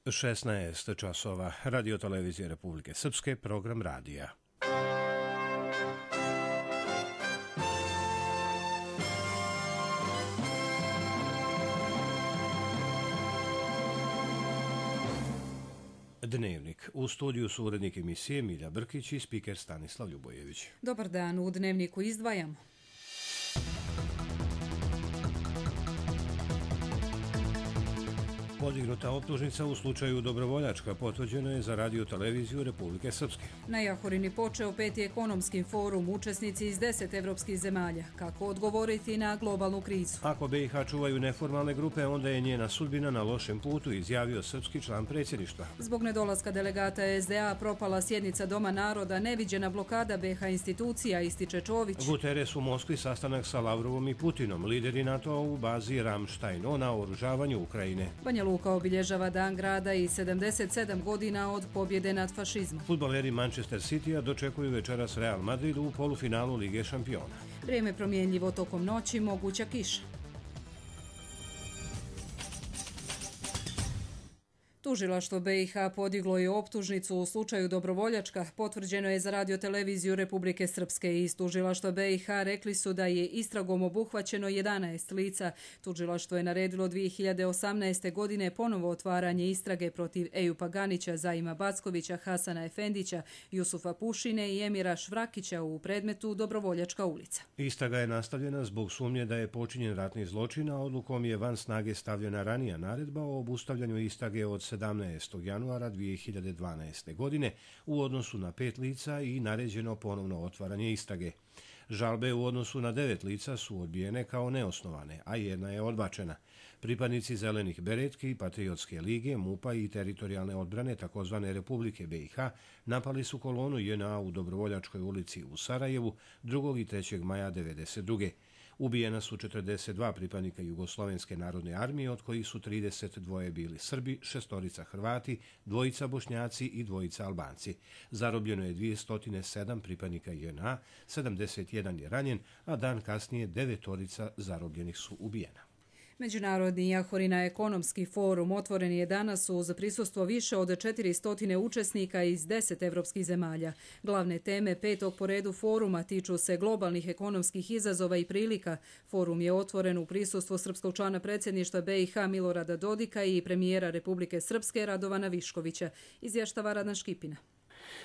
16 časova. Radio televizije Republike Srpske, program radija. Dnevnik. U studiju su urednik emisije Milja Brkić i spiker Stanislav Ljubojević. Dobar dan, u Dnevniku izdvajamo. Podignuta optužnica u slučaju Dobrovoljačka potvrđena je za Radio televiziju Republike Srpske. Na Jahorini počeo 5. ekonomski forum, učesnici iz 10 evropskih zemalja. Kako odgovoriti na globalnu krizu? Ako BiH čuvaju neformalne grupe, onda je njena sudbina na lošem putu, izjavio srpski član predsjedništva. Zbog nedolaska delegata SDA propala sjednica Doma naroda, neviđena blokada BiH institucija, ističe Čović. Guterres u Moskvi sastanak sa Lavrovom i Putinom, lideri NATO u bazi Ramštajn o naoružavanju Ukrajine. Banja Luka obilježava Dan grada i 77 godina od pobjede nad fašizmom. Fudbaleri Manchester Citya dočekuju večeras Real Madrid u polufinalu Lige šampiona. Vrijeme promjenljivo tokom noći, moguća kiša. Tužilaštvo BiH podiglo je optužnicu u slučaju Dobrovoljačka, potvrđeno je za Radio televiziju Republike Srpske. Iz Tužilaštva BiH rekli su da je istragom obuhvaćeno 11 lica. Tužilaštvo je naredilo 2018. godine ponovo otvaranje istrage protiv Ejupa Ganića, Zaima Backovića, Hasana Efendića, Jusufa Pušine i Emira Švrakića u predmetu Dobrovoljačka ulica. Istraga je nastavljena zbog sumnje da je počinjen ratni zločin, a odlukom je van snage stavljena ranija naredba o obustavljanju istrage od 17. januara 2012. godine u odnosu na 5 lica i naređeno ponovno otvaranje istrage. Žalbe u odnosu na 9 lica su odbijene kao neosnovane, a jedna je odbačena. Pripadnici Zelenih beretki, Patriotske lige, MUP-a i teritorijalne odbrane takozvane Republike BiH napali su kolonu JNA u Dobrovoljačkoj ulici u Sarajevu 2. i 3. maja 1992. Ubijena su 42 pripadnika Jugoslovenske narodne armije, od kojih su 32 bili Srbi, 6 Hrvati, 2 Bošnjaci i 2 Albanci. Zarobljeno je 207 pripadnika JNA, 71 je ranjen, a dan kasnije 9 zarobljenih su ubijena. Međunarodni Jahorina ekonomski forum otvoren je danas uz prisustvo više od 400 učesnika iz 10 evropskih zemalja. Glavne teme 5. po redu foruma tiču se globalnih ekonomskih izazova i prilika. Forum je otvoren u prisustvu srpskog člana predsjedništva BiH Milorada Dodika i premijera Republike Srpske Radovana Viškovića, izvještava Radan Škipina.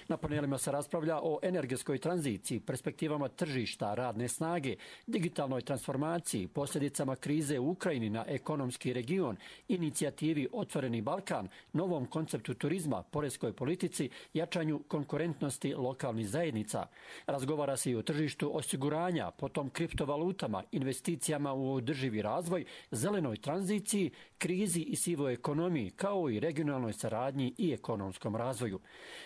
Na panelima se raspravlja o energetskoj tranziciji, perspektivama tržišta, radne snage, digitalnoj transformaciji, posljedicama krize u Ukrajini na ekonomski region, inicijativi Otvoreni Balkan, novom konceptu turizma, poreskoj politici, jačanju konkurentnosti lokalnih zajednica. Razgovara se i o tržištu osiguranja, potom kriptovalutama, investicijama u održivi razvoj, zelenoj tranziciji, krizi i sivoj ekonomiji, kao i regionalnoj saradnji i ekonomskom razvoju.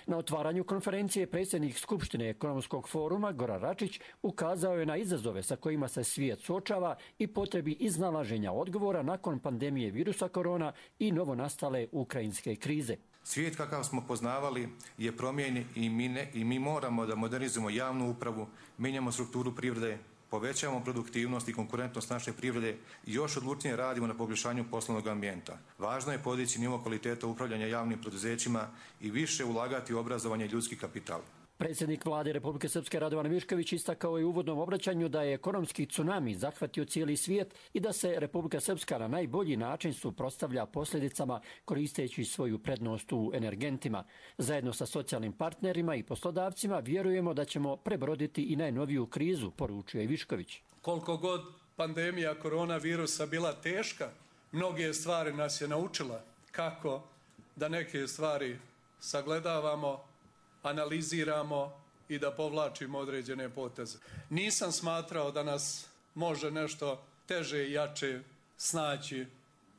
Na otvaranju konferencije predsjednik Skupštine ekonomskog foruma Goran Račić ukazao je na izazove sa kojima se svijet suočava i potrebi iznalaženja odgovora nakon pandemije virusa korona i novonastale ukrajinske krize. Svijet kakav smo poznavali je promijenjen i mi moramo da modernizujemo javnu upravu, mijenjamo strukturu privrede, povećavamo produktivnost i konkurentnost naše privrede i još odlučnije radimo na poboljšanju poslovnog ambijenta. Važno je podići nivo kvaliteta upravljanja javnim poduzećima i više ulagati u obrazovanje i ljudski kapital. Predsjednik vlade Republike Srpske Radovan Višković istakao je u uvodnom obraćanju da je ekonomski tsunami zahvatio cijeli svijet i da se Republika Srpska na najbolji način suprotstavlja posljedicama koristeći svoju prednost u energentima. Zajedno sa socijalnim partnerima i poslodavcima vjerujemo da ćemo prebroditi i najnoviju krizu, poručio je Višković. Koliko god pandemija koronavirusa bila teška, mnoge stvari nas je naučila kako da neke stvari sagledavamo, analiziramo i da povlačimo određene poteze. Nisam smatrao da nas može nešto teže i jače snaći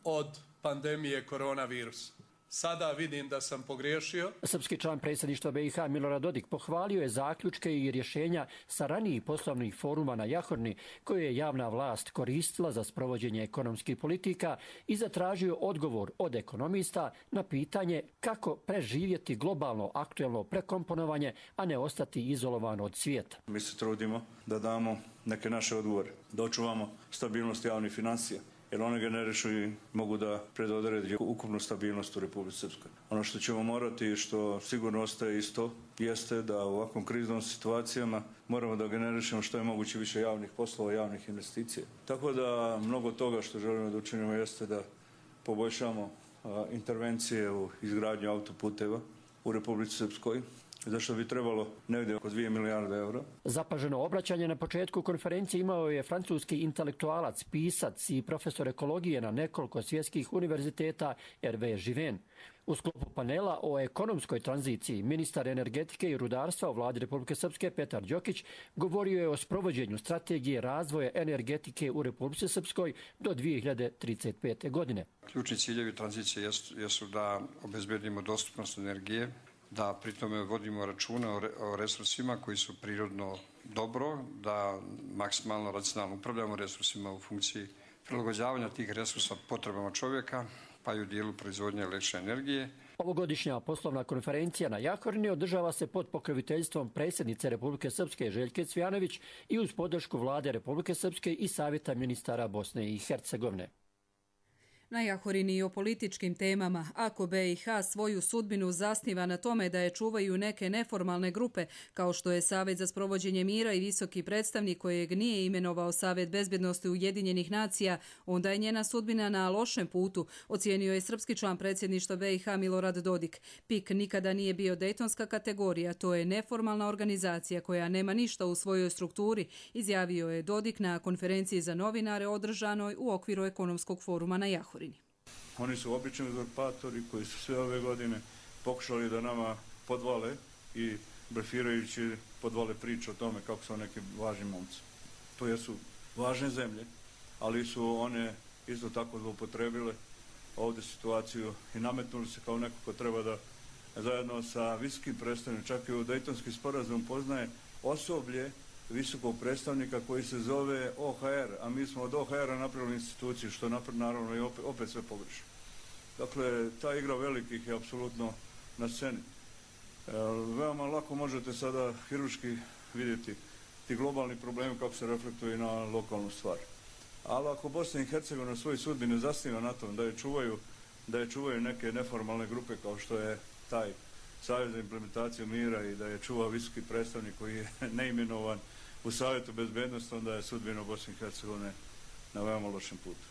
od pandemije koronavirusa. Sada vidim da sam pogriješio. Srpski član predsjedništva BiH Milorad Dodik pohvalio je zaključke i rješenja sa ranijih poslovnih foruma na Jahorni koje je javna vlast koristila za sprovođenje ekonomskih politika i zatražio odgovor od ekonomista na pitanje kako preživjeti globalno aktuelno prekomponovanje, a ne ostati izolovan od svijeta. Mi se trudimo da damo neke naše odgovore, da očuvamo stabilnost javnih financija, jer one generišu i mogu da predodredi ukupnu stabilnost u Republici Srpskoj. Ono što ćemo morati i što sigurno ostaje isto jeste da u ovakvom kriznom situacijama moramo da generišemo što je moguće više javnih poslova, javnih investicija. Tako da mnogo toga što želimo da učinimo jeste da poboljšamo intervencije u izgradnju autoputeva u Republici Srpskoj, zašto bi trebalo negdje oko 2 milijarde eura. Zapaženo obraćanje na početku konferencije imao je francuski intelektualac, pisac i profesor ekologije na nekoliko svjetskih univerziteta Hervé Given. U sklopu panela o ekonomskoj tranziciji ministar energetike i rudarstva u vladi Republike Srpske Petar Đokić govorio je o sprovođenju strategije razvoja energetike u Republici Srpskoj do 2035. godine. Ključni ciljevi tranzicije jesu da obezbedimo dostupnost energije, da pritome vodimo računa o resursima koji su prirodno dobro, da maksimalno racionalno upravljamo resursima u funkciji prilagođavanja tih resursa potrebama čovjeka, pa i u dijelu proizvodnje električne energije. Ovogodišnja poslovna konferencija na Jahorini održava se pod pokroviteljstvom predsjednice Republike Srpske Željke Cvjanović i uz podršku vlade Republike Srpske i Savjeta ministara Bosne i Hercegovine. Na Jahorini i o političkim temama. Ako BiH svoju sudbinu zasniva na tome da je čuvaju neke neformalne grupe, kao što je Savjet za sprovođenje mira i visoki predstavnik kojeg nije imenovao Savjet bezbjednosti Ujedinjenih nacija, onda je njena sudbina na lošem putu, ocijenio je srpski član predsjedništva BiH Milorad Dodik. PIK nikada nije bio dejtonska kategorija, to je neformalna organizacija koja nema ništa u svojoj strukturi, izjavio je Dodik na konferenciji za novinare održanoj u okviru ekonomskog foruma na Jahorini. Oni su obični uzurpatori koji su sve ove godine pokušali da nama podvale i blefirajući podvale priču o tome kako su neki važni momci. To jesu važne zemlje, ali su one isto tako zloupotrebile ovdje situaciju i nametnuli se kao neko ko treba da zajedno sa visokim predstavnikom, čak i u Dejtonski sporazum poznaje osoblje visokog predstavnika koji se zove OHR, a mi smo od OHR-a napravili instituciju, što naravno i opet sve pogrešno. Dakle, ta igra velikih je apsolutno na sceni. Veoma lako možete sada hiruški vidjeti ti globalni problemi kako se reflektuju na lokalnu stvar. Ali ako Bosna i Hercegovina svoju sudbinu zasniva na tom da je čuvaju neke neformalne grupe kao što je taj Savjet za implementaciju mira i da je čuva visoki predstavnik koji je neimenovan u Savjetu bezbednosti, onda je sudbina Bosne i Hercegovine na veoma lošem putu.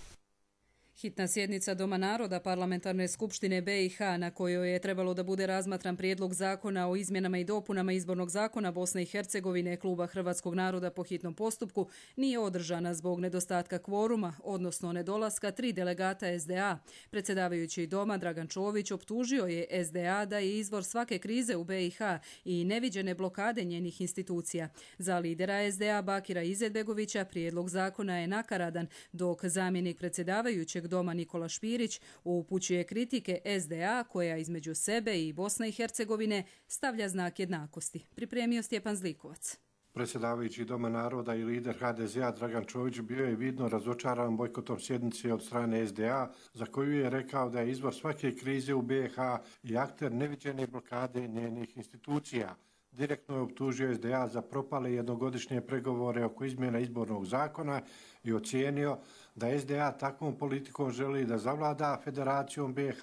Hitna sjednica Doma naroda Parlamentarne skupštine BiH, na kojoj je trebalo da bude razmatran prijedlog zakona o izmjenama i dopunama izbornog zakona Bosne i Hercegovine Kluba Hrvatskog naroda po hitnom postupku, nije održana zbog nedostatka kvoruma, odnosno nedolaska 3 delegata SDA. Predsjedavajući Doma Dragan Čović optužio je SDA da je izvor svake krize u BiH i neviđene blokade njenih institucija. Za lidera SDA Bakira Izetbegovića prijedlog zakona je nakaradan, dok zamjenik predsjedavajućeg Doma Nikola Špirić upućuje kritike SDA koja između sebe i Bosne i Hercegovine stavlja znak jednakosti. Pripremio Stjepan Zlikovac. Predsjedavajući Doma naroda i lider HDZ-a Dragan Čović bio je vidno razočaran bojkotom sjednice od strane SDA, za koju je rekao da je izvor svake krize u BiH i akter neviđene blokade njenih institucija. Direktno je optužio SDA za propale jednogodišnje pregovore oko izmjena izbornog zakona i ocijenio da SDA takvom politikom želi da zavlada Federacijom BiH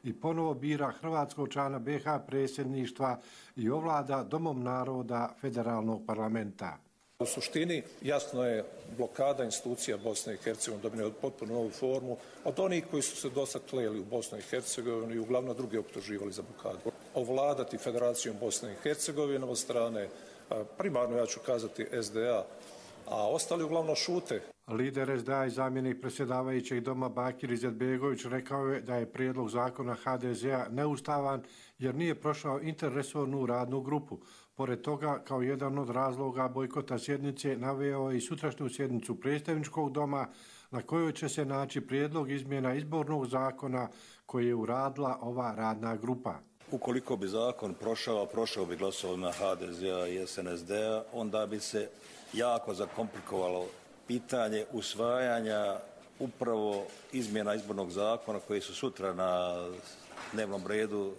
i ponovo bira hrvatskog člana BiH predsjedništva i ovlada Domom naroda federalnog parlamenta. U suštini jasno je blokada institucija Bosne i Hercegovine dobila potpuno novu formu od onih koji su se dosad kleli u Bosnu i Hercegovinu i uglavnom druge optuživali za blokadu. Ovladati Federacijom Bosne i Hercegovine od strane, primarno ja ću kazati SDA, a ostali uglavnom šute. Lider SDA i zamjenik predsjedavajućeg Doma Bakir Izetbegović rekao je da je prijedlog zakona HDZ-a neustavan jer nije prošao interresornu radnu grupu. Pored toga, kao jedan od razloga bojkota sjednice naveo i sutrašnju sjednicu predstavničkog doma na kojoj će se naći prijedlog izmjena izbornog zakona koji je uradila ova radna grupa. Ukoliko bi zakon prošao bi glasovima HDZ-a i SNSD-a, onda bi se jako zakomplikovalo pitanje usvajanja upravo izmjena izbornog zakona koji su sutra na dnevnom redu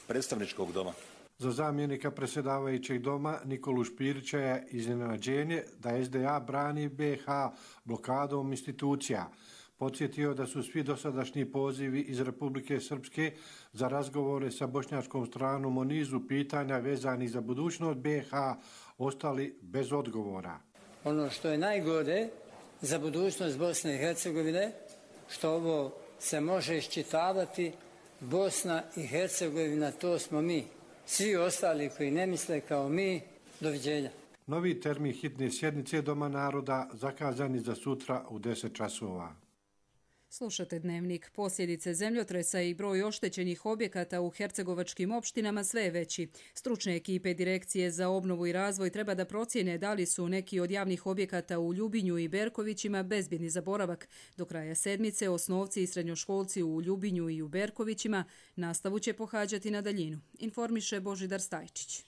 predstavničkog doma. Za zamjenika predsjedavajućeg Doma Nikolu Špirića je iznenađenje da SDA brani BiH blokadom institucija. Podsjetio da su svi dosadašnji pozivi iz Republike Srpske za razgovore sa bošnjačkom stranom o nizu pitanja vezanih za budućnost BiH ostali bez odgovora. Ono što je najgore za budućnost Bosne i Hercegovine, što ovo se može iščitavati, Bosna i Hercegovina, to smo mi. Svi ostali koji ne misle kao mi, doviđenja. Novi termin hitne sjednice Doma naroda zakazani za sutra u 10 časova. Slušate Dnevnik. Posljedice zemljotresa i broj oštećenih objekata u hercegovačkim opštinama sve je veći. Stručne ekipe Direkcije za obnovu i razvoj treba da procijene da li su neki od javnih objekata u Ljubinju i Berkovićima bezbjedni za boravak. Do kraja sedmice osnovci i srednjoškolci u Ljubinju i u Berkovićima nastavu će pohađati na daljinu, informiše Božidar Stajčić.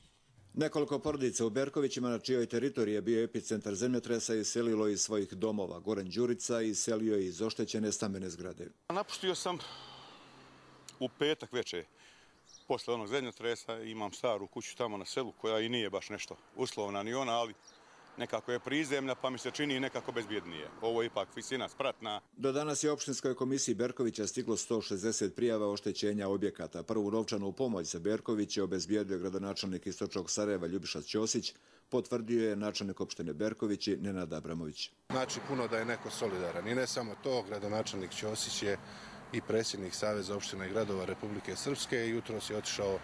Nekoliko porodica u Berkovićima, na čijoj teritoriji je bio epicentar zemljotresa, iselilo iz svojih domova. Goran Đurica iselio iz oštećene stambene zgrade. Napustio sam u petak večer. Posle onog zemljotresa imam staru kuću tamo na selu koja i nije baš nešto uslovna ni ona, ali nekako je prizemlja pa mi se čini nekako bezbjednije. Ovo je ipak visina spratna. Do danas je opštinskoj komisiji Berkovića stiglo 160 prijava oštećenja objekata. Prvu novčanu pomoć za Berković je obezbijedio gradonačelnik Istočnog Sarajeva Ljubiša Ćosić, potvrdio je načelnik opštine Berkovići Nenad Abramović. Znači puno da je neko solidaran i ne samo to, gradonačelnik Ćosić je i predsjednik Saveza opština i gradova Republike Srpske i jutros je otišao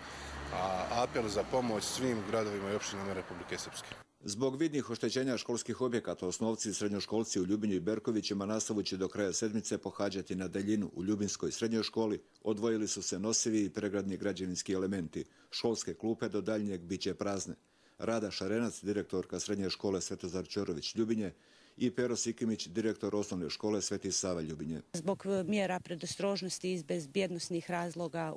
apel za pomoć svim gradovima i opštinama Republike Srpske. Zbog vidnih oštećenja školskih objekata, osnovci i srednjoškolci u Ljubinju i Berkovićima nastavu će do kraja sedmice pohađati na daljinu. U Ljubinskoj srednjoj školi odvojili su se nosivi i pregradni građevinski elementi. Školske klupe do daljnjeg biće prazne. Rada Šarenac, direktorka srednje škole Svetozar Ćorović Ljubinje, i Pero Sikimić, direktor osnovne škole Sveti Sava Ljubinje. Zbog mjera predostrožnosti iz bezbjednosnih razloga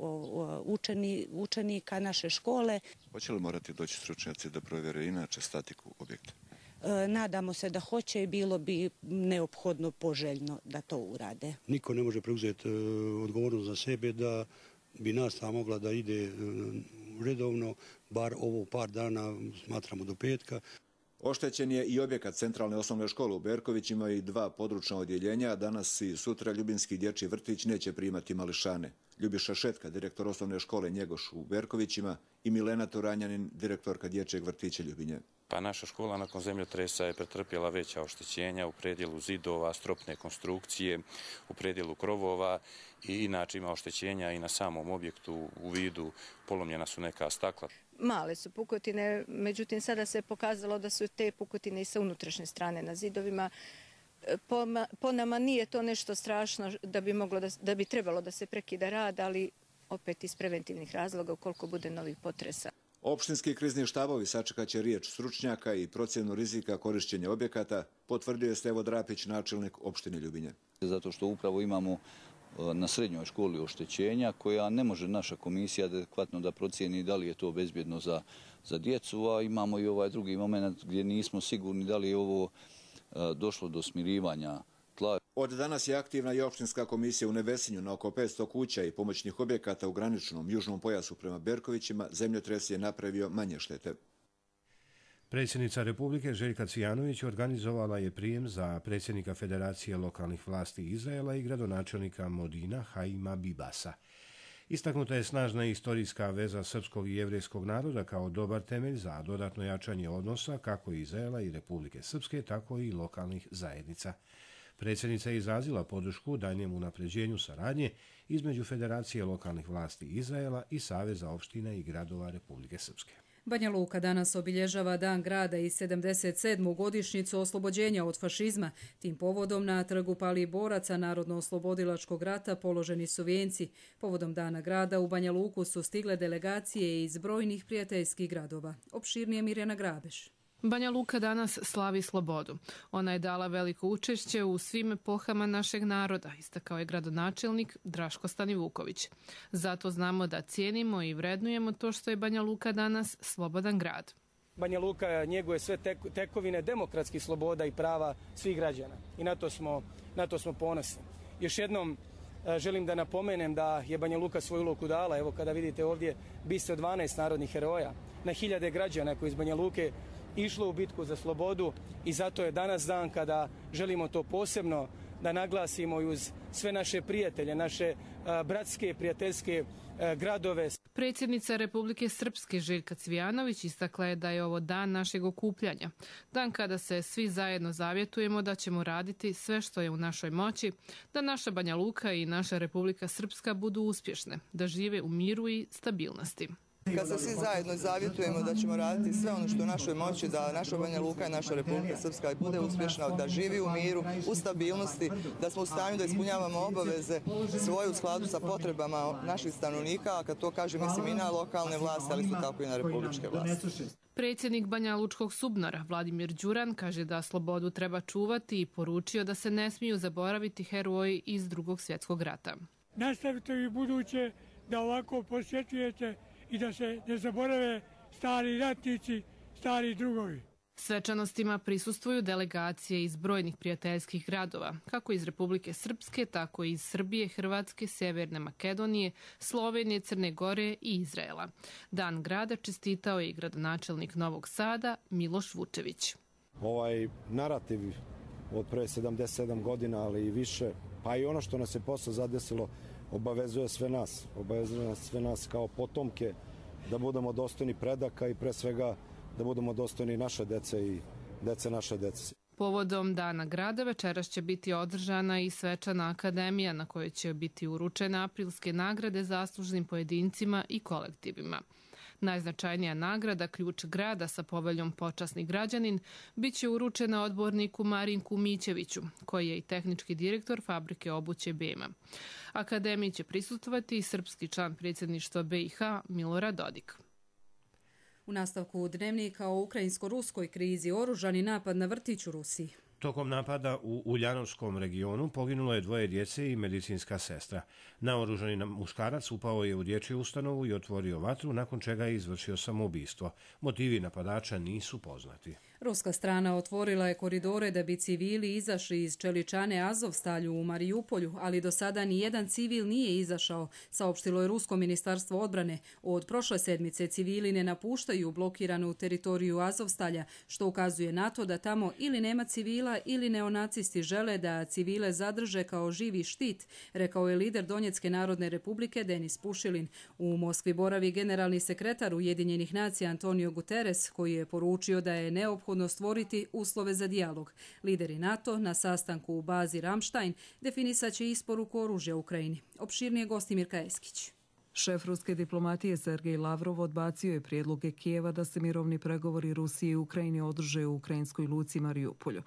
učenika naše škole. Hoće li morati doći stručnjaci da provjere inače statiku objekta? Nadamo se da hoće i bilo bi neophodno poželjno da to urade. Niko ne može preuzeti odgovornost za sebe da bi nastava mogla da ide redovno, bar ovo par dana, smatramo do petka. Oštećen je i objekat centralne osnovne škole u Berkovićima i 2 područna odjeljenja, a danas i sutra Ljubinski dječji vrtić neće primati mališane. Ljubiša Šetka, direktor osnovne škole Njegoš u Berkovićima, i Milena Turanjanin, direktorka dječjeg vrtića Ljubinje. Pa naša škola nakon zemljotresa je pretrpjela veća oštećenja u predjelu zidova, stropne konstrukcije, u predjelu krovova i inače ima oštećenja i na samom objektu u vidu polomljena su neka stakla. Male su pukotine, međutim sada se pokazalo da su te pukotine i sa unutrašnje strane na zidovima. Po nama nije to nešto strašno da bi trebalo da se prekida rad, ali opet iz preventivnih razloga ukoliko bude novih potresa. Opštinski krizni štabovi sačekat će riječ stručnjaka i procjenu rizika korišćenja objekata, potvrdio je Stevo Drapić, načelnik opštine Ljubinje. Zato što upravo imamo na srednjoj školi oštećenja koja ne može naša komisija adekvatno da procijeni da li je to bezbjedno za djecu, a imamo i ovaj drugi moment gdje nismo sigurni da li je ovo došlo do smirivanja tla. Od danas je aktivna i opštinska komisija u Nevesinju na oko 500 kuća i pomoćnih objekata u graničnom južnom pojasu prema Berkovićima. Zemljotres je napravio manje štete. Predsjednica Republike Željka Cvijanović organizovala je prijem za predsjednika Federacije lokalnih vlasti Izraela i gradonačelnika Modina Haima Bibasa. Istaknuta je snažna istorijska veza srpskog i jevrejskog naroda kao dobar temelj za dodatno jačanje odnosa kako Izraela i Republike Srpske, tako i lokalnih zajednica. Predsjednica je izrazila podršku daljnjem unapređenju saradnje između Federacije lokalnih vlasti Izraela i Saveza opština i gradova Republike Srpske. Banja Luka danas obilježava Dan grada i 77. godišnjicu oslobođenja od fašizma. Tim povodom na trgu palih boraca Narodno-oslobodilačkog rata položeni su vijenci. Povodom Dana grada u Banja Luku su stigle delegacije iz brojnih prijateljskih gradova. Opširnije Mirjana Grabeš. Banja Luka danas slavi slobodu. Ona je dala veliko učešće u svim epohama našeg naroda, istakao je gradonačelnik Draško Stanivuković. Zato znamo da cijenimo i vrednujemo to što je Banja Luka danas slobodan grad. Banja Luka njeguje sve tekovine demokratskih sloboda i prava svih građana i na to smo ponosni. Još jednom želim da napomenem da je Banja Luka svoju ulogu dala. Evo kada vidite ovdje bistvo 12 narodnih heroja, na hiljade građana koji iz Banja Luke išlo u bitku za slobodu i zato je danas dan kada želimo to posebno da naglasimo i uz sve naše prijatelje, naše bratske, prijateljske gradove. Predsjednica Republike Srpske Željka Cvijanović istakla je da je ovo dan našeg okupljanja. Dan kada se svi zajedno zavjetujemo da ćemo raditi sve što je u našoj moći, da naša Banja Luka i naša Republika Srpska budu uspješne, da žive u miru i stabilnosti. Kad se svi zajedno zavjetujemo da ćemo raditi sve ono što je u našoj moći, da naša Banja Luka i naša Republika Srpska bude uspješna, da živi u miru, u stabilnosti, da smo u stanju da ispunjavamo obaveze svoje u skladu sa potrebama naših stanovnika, a kad to kažem mislim i na lokalne vlasti, ali isto tako i na republičke vlasti. Predsjednik Banja Lučkog SUBNOR-a Vladimir Đuran kaže da slobodu treba čuvati i poručio da se ne smiju zaboraviti heroji iz Drugog svjetskog rata. Nastavite i buduće da ovako posjetujete i da se ne zaborave stari ratnici, stari drugovi. Svečanostima prisustvuju delegacije iz brojnih prijateljskih gradova, kako iz Republike Srpske, tako i iz Srbije, Hrvatske, Sjeverne Makedonije, Slovenije, Crne Gore i Izraela. Dan grada čestitao je i gradonačelnik Novog Sada Miloš Vučević. Ovaj narativ od pre 77 godina, ali i više, pa i ono što nas je posle zadesilo, obavezuje sve nas kao potomke da budemo dostojni predaka i pre svega da budemo dostojni naše dece i dece naše dece. Povodom Dana grada večeras će biti održana i svečana akademija na kojoj će biti uručene aprilske nagrade zaslužnim pojedincima i kolektivima. Najznačajnija nagrada, ključ grada sa poveljom Počasni građanin, bit će uručena odborniku Marinku Mićeviću, koji je i tehnički direktor fabrike obuće Bema. Akademiji će prisustvovati i srpski član predsjedništva BiH Milorad Dodik. U nastavku dnevnika o ukrajinsko-ruskoj krizi oružani napad na vrtić u Rusiji. Tokom napada u Uljanovskom regionu poginulo je 2 djece i medicinska sestra. Naoružani muškarac upao je u dječju ustanovu i otvorio vatru, nakon čega je izvršio samoubistvo. Motivi napadača nisu poznati. Ruska strana otvorila je koridore da bi civili izašli iz čeličane Azovstalju u Marijupolju, ali do sada ni jedan civil nije izašao, saopštilo je Rusko ministarstvo odbrane. Od prošle sedmice civili ne napuštaju blokiranu teritoriju Azovstalja, što ukazuje na to da tamo ili nema civila ili neonacisti žele da civile zadrže kao živi štit, rekao je lider Donjecke narodne republike Denis Pušilin. U Moskvi boravi generalni sekretar Ujedinjenih nacija Antonio Guterres, koji je poručio da je neophodno stvoriti uslove za dijalog. Lideri NATO na sastanku u bazi Ramstein definisaće isporuku oružja Ukrajini. Opširnije Gostimir Kajeskić. Šef ruske diplomatije Sergej Lavrov odbacio je prijedloge Kijeva da se mirovni pregovori Rusije i Ukrajine održe u ukrajinskoj luci Marijupolju.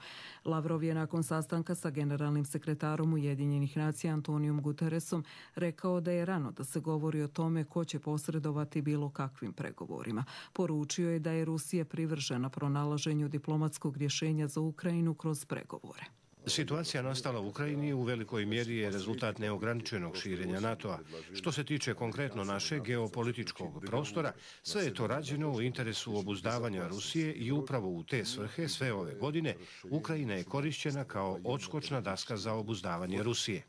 Lavrov je nakon sastanka sa generalnim sekretarom Ujedinjenih nacija Antonijom Guterresom rekao da je rano da se govori o tome ko će posredovati bilo kakvim pregovorima. Poručio je da je Rusija privržena pronalaženju diplomatskog rješenja za Ukrajinu kroz pregovore. Situacija nastala u Ukrajini u velikoj mjeri je rezultat neograničenog širenja NATO-a. Što se tiče konkretno našeg geopolitičkog prostora, sve je to rađeno u interesu obuzdavanja Rusije i upravo u te svrhe sve ove godine Ukrajina je korišćena kao odskočna daska za obuzdavanje Rusije.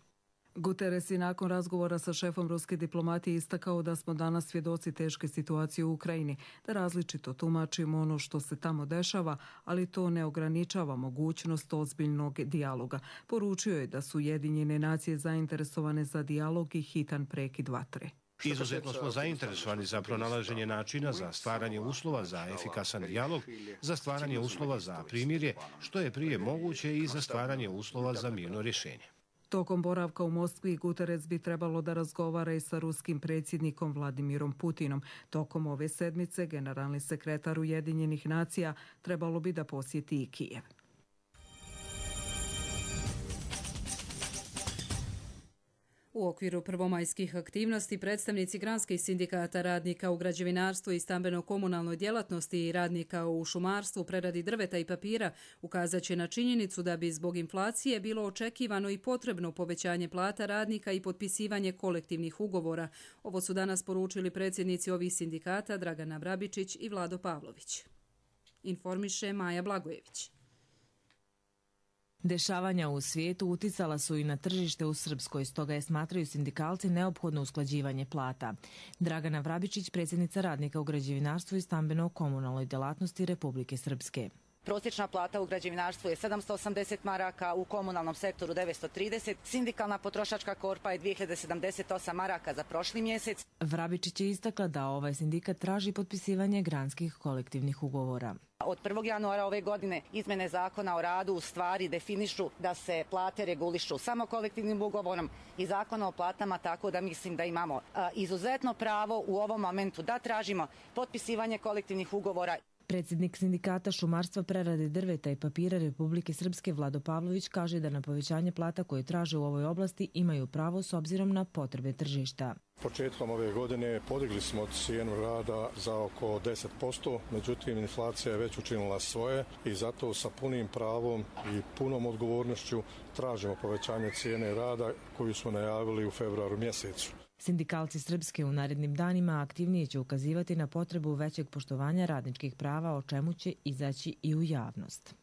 Guterres je nakon razgovora sa šefom ruske diplomatije istakao da smo danas svjedoci teške situacije u Ukrajini, da različito tumačimo ono što se tamo dešava, ali to ne ograničava mogućnost ozbiljnog dijaloga. Poručio je da su Ujedinjene nacije zainteresovane za dijalog i hitan prekid vatre. Izuzetno smo zainteresovani za pronalaženje načina za stvaranje uslova za efikasan dijalog, za stvaranje uslova za primirje, što je prije moguće i za stvaranje uslova za mirno rješenje. Tokom boravka u Moskvi Guterres bi trebalo da razgovara i sa ruskim predsjednikom Vladimirom Putinom. Tokom ove sedmice generalni sekretar Ujedinjenih nacija trebalo bi da posjeti i Kijev. U okviru prvomajskih aktivnosti predstavnici granskih sindikata radnika u građevinarstvu i stambeno-komunalnoj djelatnosti i radnika u šumarstvu, preradi drveta i papira ukazat će na činjenicu da bi zbog inflacije bilo očekivano i potrebno povećanje plata radnika i potpisivanje kolektivnih ugovora. Ovo su danas poručili predsjednici ovih sindikata Dragana Vrabičić i Vlado Pavlović. Informiše Maja Blagojević. Dešavanja u svijetu uticala su i na tržište u Srpskoj, stoga je, smatraju sindikalci, neophodno usklađivanje plata. Dragana Vrabičić, predsjednica radnika u građevinarstvu i stambeno-komunalnoj djelatnosti Republike Srpske. prosječna plata u građevinarstvu je 780 maraka, u komunalnom sektoru 930, sindikalna potrošačka korpa je 2078 maraka za prošli mjesec. Vrabičić je istakla da ovaj sindikat traži potpisivanje granskih kolektivnih ugovora. Od 1. januara ove godine izmene zakona o radu u stvari definišu da se plate regulišu samo kolektivnim ugovorom i zakona o platama, tako da mislim da imamo izuzetno pravo u ovom momentu da tražimo potpisivanje kolektivnih ugovora. Predsjednik sindikata šumarstva, prerade drveta i papira Republike Srpske Vlado Pavlović kaže da na povećanje plata koje traže u ovoj oblasti imaju pravo s obzirom na potrebe tržišta. Početkom ove godine podigli smo cijenu rada za oko 10%, međutim inflacija je već učinila svoje i zato sa punim pravom i punom odgovornošću tražimo povećanje cijene rada koju smo najavili u februaru mjesecu. Sindikalci Srpske u narednim danima aktivnije će ukazivati na potrebu većeg poštovanja radničkih prava, o čemu će izaći i u javnost.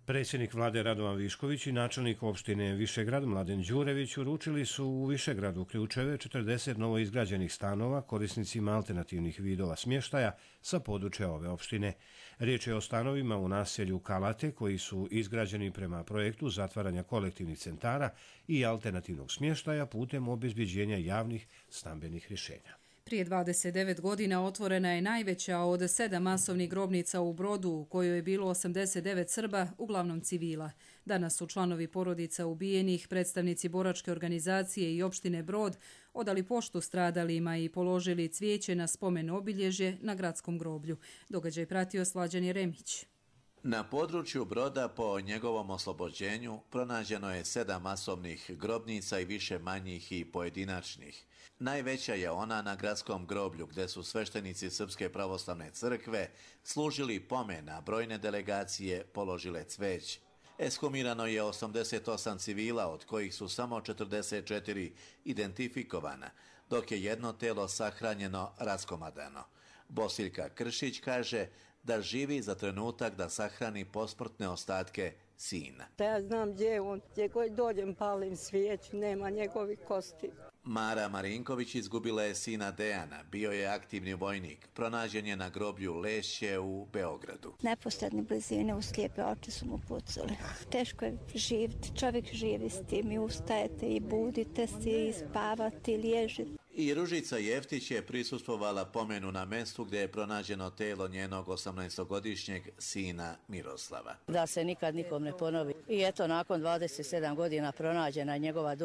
Predsjednik vlade Radovan Višković i načelnik opštine Višegrad Mladen Đurević uručili su u Višegradu ključeve 40 novoizgrađenih stanova korisnicima alternativnih vidova smještaja sa područja ove opštine. Riječ je o stanovima u naselju Kalate koji su izgrađeni prema projektu zatvaranja kolektivnih centara i alternativnog smještaja putem obezbeđenja javnih stambenih rješenja. Prije 29 godina otvorena je najveća od 7 masovnih grobnica u Brodu, u kojoj je bilo 89 Srba, uglavnom civila. Danas su članovi porodica ubijenih, predstavnici boračke organizacije i opštine Brod odali poštu stradalima i položili cvijeće na spomen obilježje na gradskom groblju. Događaj pratio Slađan Jeremić. Na području Broda po njegovom oslobođenju pronađeno je 7 masovnih grobnica i više manjih i pojedinačnih. Najveća je ona na gradskom groblju gdje su sveštenici Srpske pravoslavne crkve služili pomen, a brojne delegacije položile cveć. Ekshumirano je 88 civila, od kojih su samo 44 identifikovana, dok je jedno telo sahranjeno raskomadano. Bosiljka Kršić kaže da živi za trenutak da sahrani posmrtne ostatke sina. Ja znam gdje je on, gdje god dođem palim svijeću, nema njegovih kosti. Mara Marinković izgubila je sina Dejana, bio je aktivni vojnik, pronađen je na groblju Lešće u Beogradu. Neposredne blizine u slijepe oči su mu pucali. Teško je živjeti, čovjek živi s tim i ustajete i budite se i spavate i liježite. I Ružica Jeftić je prisustvovala pomenu na mjestu gdje je pronađeno telo njenog 18-godišnjeg sina Miroslava. Da se nikad nikom ne ponovi. I eto, nakon 27 godina pronađena njegova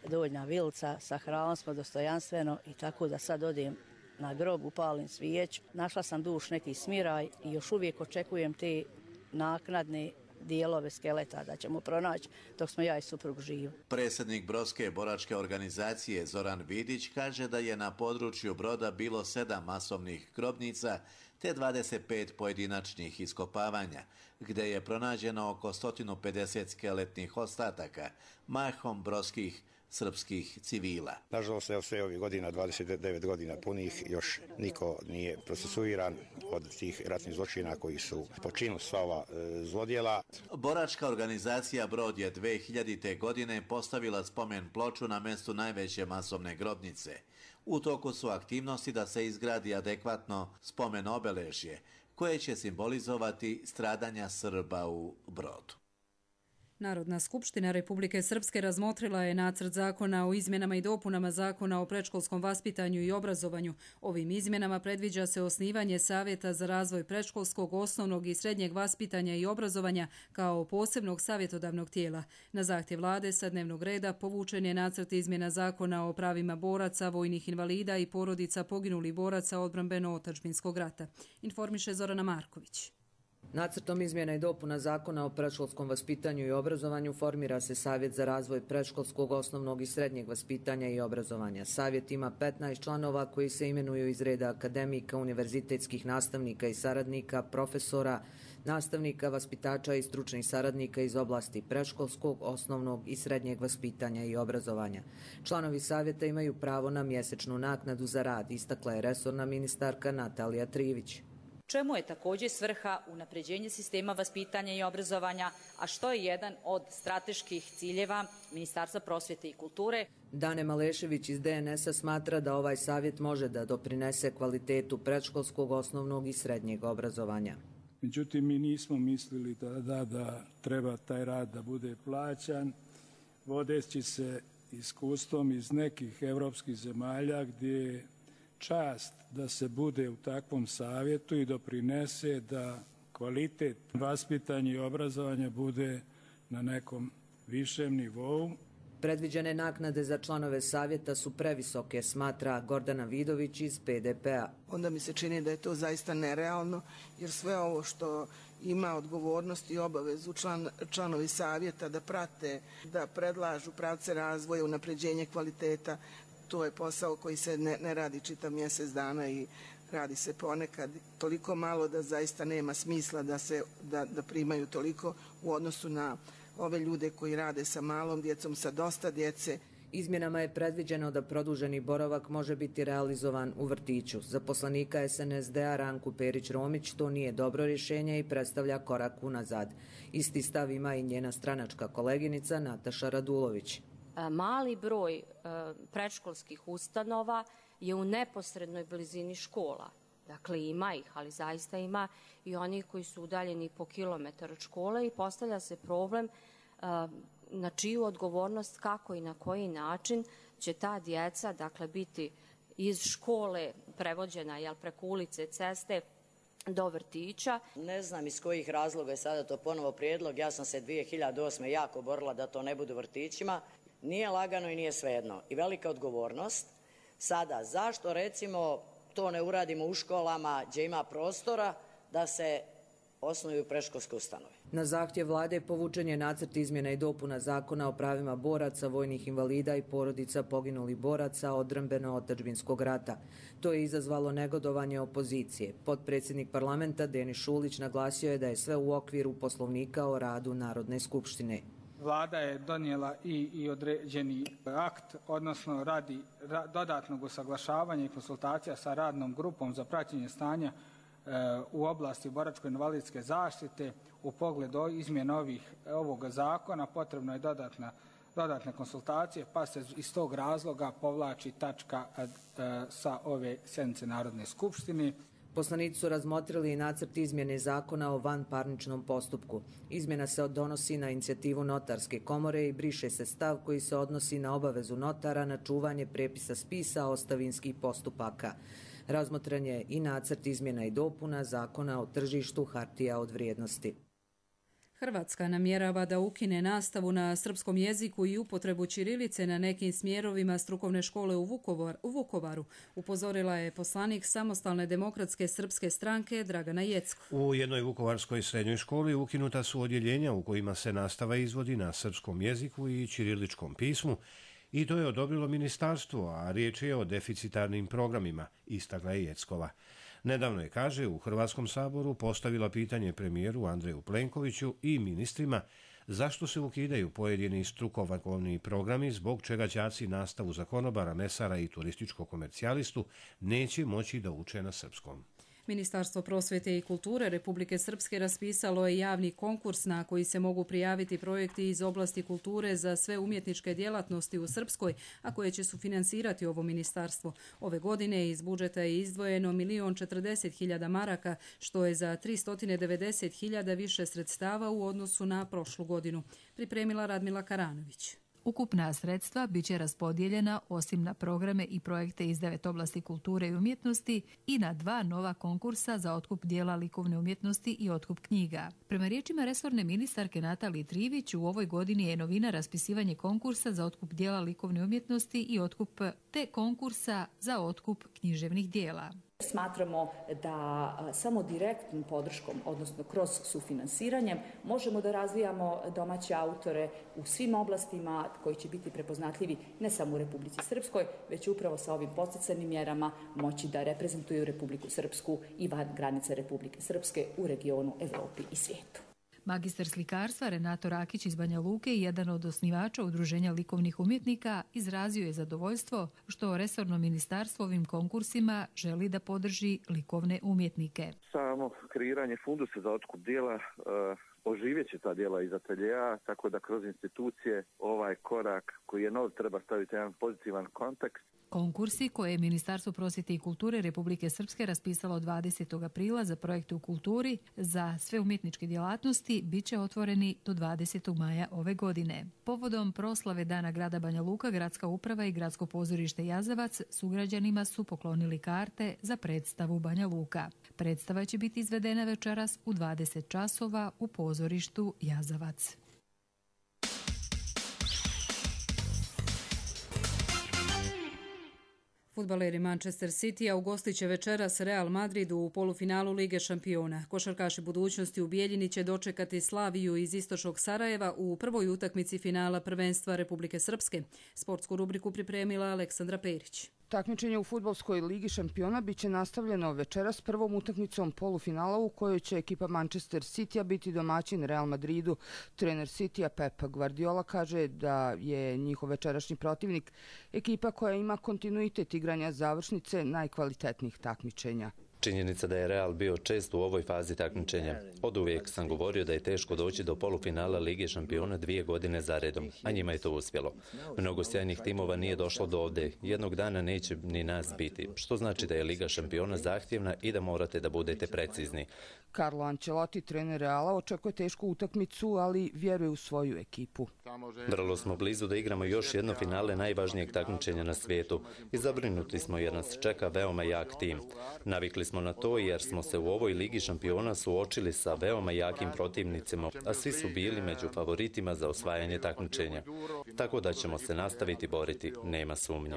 donja vilca, sahranili smo dostojanstveno i tako da sad odim na grob, upalim svijeću. Našla sam duš neki smiraj i još uvijek očekujem te naknadne dijelove skeleta da ćemo pronaći dok smo ja i suprug živi. Predsjednik Brodske boračke organizacije Zoran Vidić kaže da je na području Broda bilo 7 masovnih grobnica te 25 pojedinačnih iskopavanja, gdje je pronađeno oko 150 skeletnih ostataka, mahom brodskih srpskih civila. Nažalost, evo sve ovih godina, 29 godina punih, još niko nije procesuiran od tih ratnih zločina koji su počinili sva ova zlodjela. Boračka organizacija Brod je 2000. godine postavila spomen ploču na mjestu najveće masovne grobnice. U toku su aktivnosti da se izgradi adekvatno spomen obeležje, koje će simbolizovati stradanja Srba u Brodu. Narodna skupština Republike Srpske razmotrila je nacrt zakona o izmjenama i dopunama zakona o predškolskom vaspitanju i obrazovanju. Ovim izmjenama predviđa se osnivanje Savjeta za razvoj predškolskog, osnovnog i srednjeg vaspitanja i obrazovanja kao posebnog savjetodavnog tijela. Na zahtjev vlade sa dnevnog reda povučen je nacrt izmjena zakona o pravima boraca, vojnih invalida i porodica poginulih boraca odbrambeno-otadžbinskog rata. Informiše Zorana Marković. Nacrtom izmjena i dopuna zakona o predškolskom vaspitanju i obrazovanju formira se Savjet za razvoj predškolskog, osnovnog i srednjeg vaspitanja i obrazovanja. Savjet ima 15 članova koji se imenuju iz reda akademika, univerzitetskih nastavnika i saradnika, profesora, nastavnika, vaspitača i stručnih saradnika iz oblasti predškolskog, osnovnog i srednjeg vaspitanja i obrazovanja. Članovi savjeta imaju pravo na mjesečnu naknadu za rad, istakla je resorna ministarka Natalija Trivić. Čemu je također svrha unapređenje sistema vaspitanja i obrazovanja, a što je jedan od strateških ciljeva Ministarstva prosvjete i kulture. Dane Malešević iz DNS-a smatra da ovaj savjet može da doprinese kvalitetu predškolskog, osnovnog i srednjeg obrazovanja. Međutim, mi nismo mislili da treba taj rad da bude plaćan, vodeći se iskustvom iz nekih evropskih zemalja gdje je čast da se bude u takvom savjetu i doprinese da kvalitet vaspitanja i obrazovanja bude na nekom višem nivou. Predviđene naknade za članove savjeta su previsoke, smatra Gordana Vidović iz PDP-a. Onda mi se čini da je to zaista nerealno, jer sve ovo što ima odgovornost i obavezu članovi savjeta da prate, da predlažu pravce razvoja, unapređenje kvaliteta, to je posao koji se ne radi čitav mjesec dana i radi se ponekad toliko malo da zaista nema smisla da primaju toliko u odnosu na ove ljude koji rade sa malom djecom, sa dosta djece. Izmjenama je predviđeno da produženi boravak može biti realizovan u vrtiću. Za poslanika SNSD-a Ranku Perić-Romić to nije dobro rješenje i predstavlja korak unazad. Isti stav ima i njena stranačka koleginica Nataša Radulović. Mali broj predškolskih ustanova je u neposrednoj blizini škola. Dakle, ima ih, ali zaista ima i onih koji su udaljeni po kilometar od škole i postavlja se problem na čiju odgovornost, kako i na koji način će ta djeca, dakle, biti iz škole prevođena preko ulice, ceste do vrtića. Ne znam iz kojih razloga je sada to ponovo prijedlog. Ja sam se 2008. jako borila da to ne bude u vrtićima. Nije lagano i nije svejedno. I velika odgovornost. Sada, zašto recimo to ne uradimo u školama gdje ima prostora da se osnuju predškolske ustanove? Na zahtjev vlade povučen je nacrt izmjena i dopuna Zakona o pravima boraca, vojnih invalida i porodica poginulih boraca odbrambeno-otadžbinskog rata. To je izazvalo negodovanje opozicije. Potpredsjednik parlamenta Denis Šulić naglasio je da je sve u okviru Poslovnika o radu Narodne skupštine. Vlada je donijela i određeni akt, odnosno radi dodatnog usaglašavanja i konsultacija sa radnom grupom za praćenje stanja u oblasti boračko-invalidske zaštite. U pogledu izmjena ovoga zakona potrebno je dodatne konsultacije, pa se iz tog razloga povlači tačka sa ove sjednice Narodne skupštine. Poslanici su razmotrili i nacrt izmjene Zakona o vanparničnom postupku. Izmjena se donosi na inicijativu Notarske komore i briše se stav koji se odnosi na obavezu notara na čuvanje prepisa spisa ostavinskih postupaka. Razmotren je i nacrt izmjena i dopuna Zakona o tržištu hartija od vrijednosti. Hrvatska namjerava da ukine nastavu na srpskom jeziku i upotrebu ćirilice na nekim smjerovima strukovne škole u Vukovaru, upozorila je poslanik Samostalne demokratske srpske stranke Dragana Jeckov. U jednoj vukovarskoj srednjoj školi ukinuta su odjeljenja u kojima se nastava izvodi na srpskom jeziku i ćiriličkom pismu i to je odobrilo ministarstvo, a riječ je o deficitarnim programima, istakla je Jeckova. Nedavno je, kaže, u Hrvatskom saboru postavila pitanje premijeru Andreju Plenkoviću i ministrima zašto se ukidaju pojedini strukovni programi, zbog čega đaci nastavu za konobara, mesara i turističkog komercijalistu neće moći da uče na srpskom. Ministarstvo prosvjete i kulture Republike Srpske raspisalo je javni konkurs na koji se mogu prijaviti projekti iz oblasti kulture za sve umjetničke djelatnosti u Srpskoj, a koje će sufinansirati ovo ministarstvo. Ove godine iz budžeta je izdvojeno 1.040.000 maraka, što je za 390.000 više sredstava u odnosu na prošlu godinu. Pripremila Radmila Karanović. Ukupna sredstva bit će raspodijeljena osim na programe i projekte iz 9 oblasti kulture i umjetnosti i na 2 nova konkursa za otkup dijela likovne umjetnosti i otkup knjiga. Prema riječima resorne ministarke Natalije Trivić, u ovoj godini je novina raspisivanje konkursa za otkup dijela likovne umjetnosti i otkup te konkursa za otkup književnih dijela. Smatramo da samo direktnom podrškom, odnosno kroz sufinanciranjem, možemo da razvijamo domaće autore u svim oblastima koji će biti prepoznatljivi ne samo u Republici Srpskoj, već upravo sa ovim podsticajnim mjerama moći da reprezentuju Republiku Srpsku i van granice Republike Srpske u regionu, Evropi i svijetu. Magistar slikarstva Renato Rakić iz Banja Luke i jedan od osnivača Udruženja likovnih umjetnika izrazio je zadovoljstvo što resorno ministarstvo ovim konkursima želi da podrži likovne umjetnike. Samo kreiranje fundusa za otkup dijela oživjet će ta djela iz ateljeja, tako da kroz institucije ovaj korak koji je nov treba staviti jedan pozitivan kontekst. Konkursi koje je Ministarstvo prosvjete i kulture Republike Srpske raspisalo 20. aprila za projekte u kulturi za sve umjetničke djelatnosti bit će otvoreni do 20. maja ove godine. Povodom proslave Dana grada Banja Luka, Gradska uprava i Gradsko pozorište Jazavac sugrađanima su poklonili karte za predstavu Banja Luka. Predstava će biti izvedena večeras u 20 časova u pozorištu Jazavac. Fudbaleri Manchester City ugostit će večeras Real Madrid u polufinalu Lige šampiona. Košarkaši budućnosti u Bijeljini će dočekati Slaviju iz istočnog Sarajeva u prvoj utakmici finala prvenstva Republike Srpske. Sportsku rubriku pripremila Aleksandra Perić. Takmičenje u fudbalskoj ligi šampiona biće nastavljeno večeras prvom utakmicom polufinala u kojoj će ekipa Manchester Citya biti domaćin Real Madridu. Trener Citya Pep Guardiola kaže da je njihov večerašnji protivnik ekipa koja ima kontinuitet igranja završnice najkvalitetnijih takmičenja. Činjenica da je Real bio često u ovoj fazi takmičenja. Oduvijek sam govorio da je teško doći do polufinala Lige šampiona 2 godine za redom, a njima je to uspjelo. Mnogo sjajnih timova nije došlo do ovdje. Jednog dana neće ni nas biti, što znači da je Liga šampiona zahtjevna i da morate da budete precizni. Carlo Ancelotti, trener Reala, očekuje tešku utakmicu, ali vjeruje u svoju ekipu. Vrlo smo blizu da igramo još jedno finale najvažnijeg takmičenja na svijetu i zabrinuti smo jer nas čeka veoma jak tim. Navikli smo na to jer smo se u ovoj Ligi šampiona suočili sa veoma jakim protivnicima, a svi su bili među favoritima za osvajanje takmičenja. Tako da ćemo se nastaviti boriti, nema sumnje.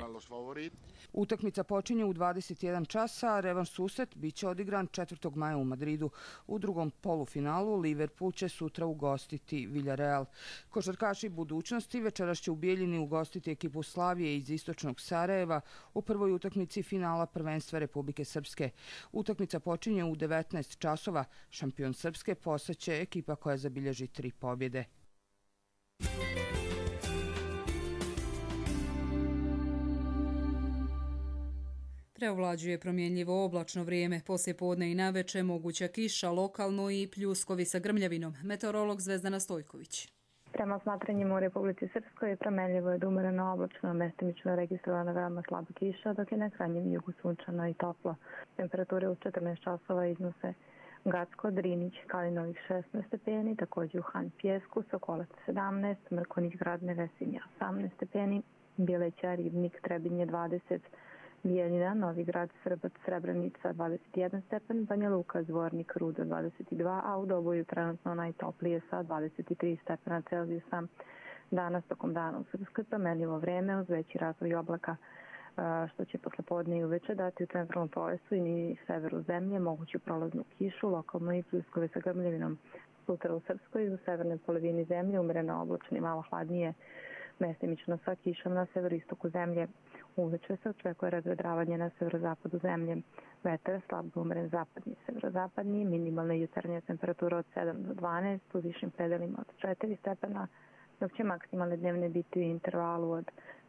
Utakmica počinje u 21 časa, a revanš susret biće odigran 4. maja u Madridu. U drugom polufinalu Liverpool će sutra ugostiti Villarreal. Košarkaši budućnosti večeras će u Bijeljini ugostiti ekipu Slavije iz istočnog Sarajeva u prvoj utakmici finala prvenstva Republike Srpske. Utakmica počinje u 19 časova. Šampion Srpske postaće ekipa koja zabilježi 3 pobjede. Preovlađuje promjenljivo oblačno vrijeme, poslije podne i naveče moguća kiša, lokalno i pljuskovi sa grmljavinom. Meteorolog Zvezdana Stojković. Prema smatranjima u Republici Srpskoj promjenljivo je do umjereno oblačno, mestimično registrovana veoma slaba kiša, dok je na krajnjem jugu sunčano i toplo. Temperature u 14 časova iznose Gacko, Drinić, Kalinovih 16 stepeni, također u Han Pjesku, Sokolac 17, Mrkonić, Grad Nevesinja 18 stepeni, Bjeleća, Ribnik, Trebinje 20, Bijeljina, Novi Grad, Srbac, Srebrenica 21 stepen, Banja Luka, Zvornik, Rudo 22, a u Doboju trenutno najtoplije sa 23 stepena Celzijusa. Danas tokom dana u Srpskoj promjenljivo vreme uz veći razvoj oblaka, što će posle podne i uveče dati u centralnom pojasu i severu zemlje moguću prolaznu kišu, lokalno i pljuskove sa grmljavinom. Sutra u Srpskoj u severnoj polovini zemlje umjereno oblačno i malo hladnije, mestimično sa kišom na severoistoku zemlje. Uveče se očekuje razvedravanje na severozapadu zemlje. Vetar slab umeren zapadni, severozapadni, minimalna jutarnja temperatura od 7 do 12, u višim predelima od 4 stepena, dok će maksimalne dnevne biti u intervalu od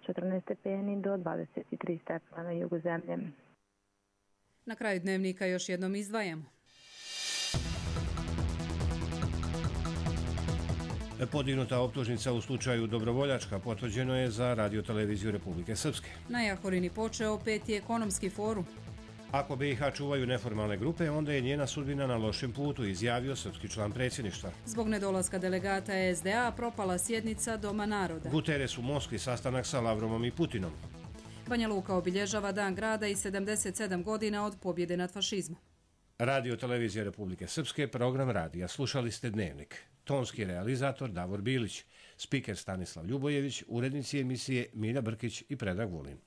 14 stepeni do 23 stepena na jugu zemlje. Na kraju dnevnika još jednom izdvajamo. Podignuta optužnica u slučaju Dobrovoljačka potvrđeno je za radioteleviziju Republike Srpske. Na Jahorini počeo 5. ekonomski forum. Ako BiH čuvaju neformalne grupe, onda je njena sudbina na lošem putu, izjavio srpski član predsjedništva. Zbog nedolaska delegata SDA propala sjednica Doma naroda. Guterres u Moskvi sastanak sa Lavrovom i Putinom. Banja Luka obilježava Dan grada i 77 godina od pobjede nad fašizmom. Radio televizija Republike Srpske, program radija. Slušali ste Dnevnik. Tonski realizator Davor Bilić, spiker Stanislav Ljubojević, urednici emisije Milja Brkić i Predrag Vulin.